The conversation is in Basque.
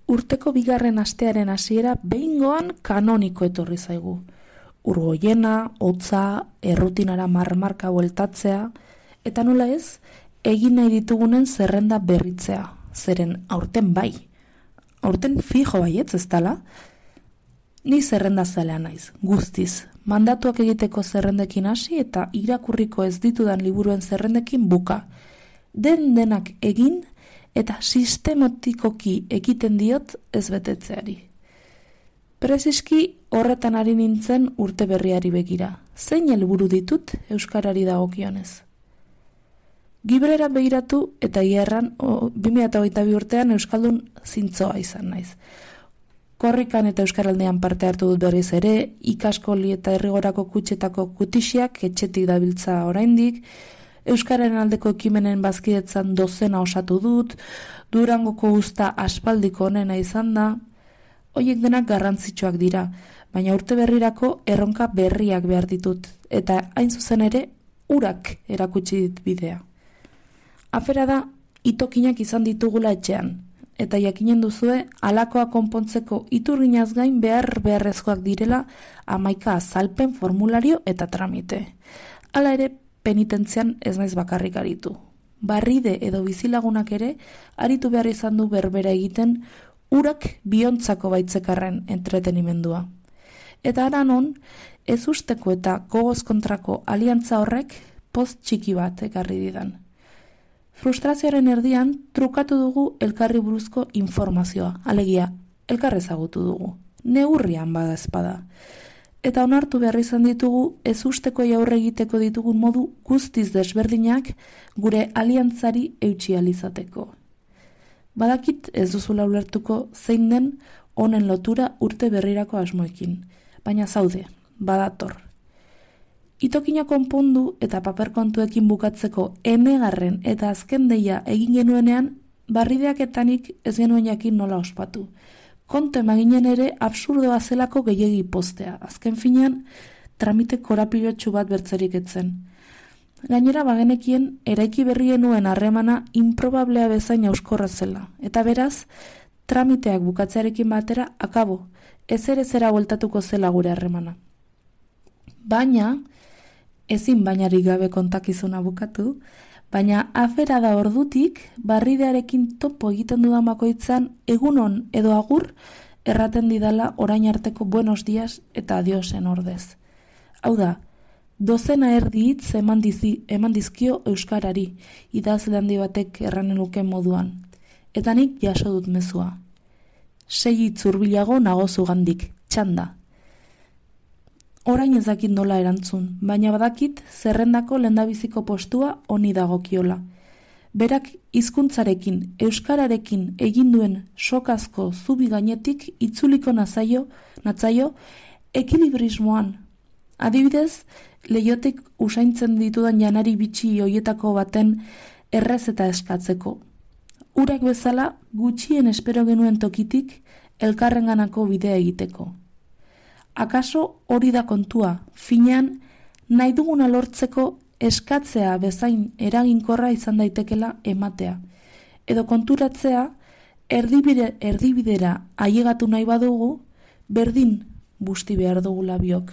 urteko bigarren astearen hasiera behingoan kanoniko etorri zaigu. Urgoiena, hotza, errutinara marmarka bueltatzea, eta nola ez, egin nahi ditugunen zerrenda berritzea, zeren aurten bai. Aurten fijo baietz ez dala? Ni zerrenda zalea naiz, guztiz. Mandatuak egiteko zerrendekin hasi eta irakurriko ez ditudan liburuen zerrendekin buka. Denak egin eta sistematikoki ekiten diot ez betetzeari. Preziski horretan ari nintzen urte berriari begira. Zein helburu ditut euskarari dagokionez? Gibrera begiratu eta hierran 2022 urtean euskaldun zintzoa izan naiz. Korrikan eta euskaraldean parte hartu dut berriz ere, ikaskoli eta herrigorako kutxetako kutixiak etxetik dabiltza oraindik, euskararen aldeko ekimenen bazkidetzan dozena osatu dut, Durangoko usta aspaldiko onena izan da. Hoiek denak garrantzitsuak dira, baina urte berrirako erronka berriak behar ditut, eta hain zuzen ere urak erakutsi dit bidea. Afera da, itokinak izan ditugula etxean, eta jakinen duzue alakoa konpontzeko iturginaz gain beharrezkoak direla 11 azalpen, formulario eta tramite. Hala ere, penitentzian ez naiz bakarrik aritu. Barride edo bizilagunak ere aritu behar izan du berbera egiten urak biontzako baitzekarren entretenimendua. Eta aranon, ez usteko eta gogoz kontrako aliantza horrek post txiki bat ekarri didan. Frustrazioaren erdian trukatu dugu elkarri buruzko informazioa, alegia, elkar ezagutu dugu, neurrian bada espada. Eta onartu behar izan ditugu ez usteko aurre egiteko ditugun modu guztiz desberdinak gure aliantzari eutsi alizateko. Badakit ez duzula ulertuko zein den honen lotura urte berrirako asmoekin, baina zaude, badator. Itokina konpondu eta paperkontuekin bukatzeko emegarren eta azken deia egin genuenean, barrideaketanik ez genuen jakin nola ospatu. Kontu emaginen ere absurdoa zelako gehiegi postea, azken finean tramite korapilotxu bat bertzerik etzen. Gainera bagenekien eraiki berri genuen harremana improbablea bezain euskorra zela, eta beraz, tramiteak bukatzearekin batera akabo, ezera bueltatuko zela gure harremana. Baina, ezin bainarik gabe kontakizuna bukatu, baina afera da ordutik barridearekin topo egiten dudan bakoitzan egunon edo agur erraten didala orain arteko buenos días eta adiosen ordez. Hau da, dozena erdi hitz eman dizkio euskarari, idazle handi batek erranen luken moduan. Eta nik jaso dut mezua. 6 hitz hurbilago nago zugandik, txanda. Orain ez dakit nola erantzun, baina badakit zerrendako lehendabiziko postua honi dagokiola. Berak hizkuntzarekin, euskararekin egin duen sokazko zubi gainetik itzuliko natzaio ekilibrismoan. Adibidez, leiotik usaintzen ditudan janari bitxi hoietako baten errez eta eskatzeko. Urak bezala gutxien espero genuen tokitik elkarrenganako bidea egiteko. Akaso hori da kontua, finean nahi duguna lortzeko eskatzea bezain eraginkorra izan daitekela ematea. Edo konturatzea erdibidera ailegatu nahi badugu, berdin busti behar dugula biok.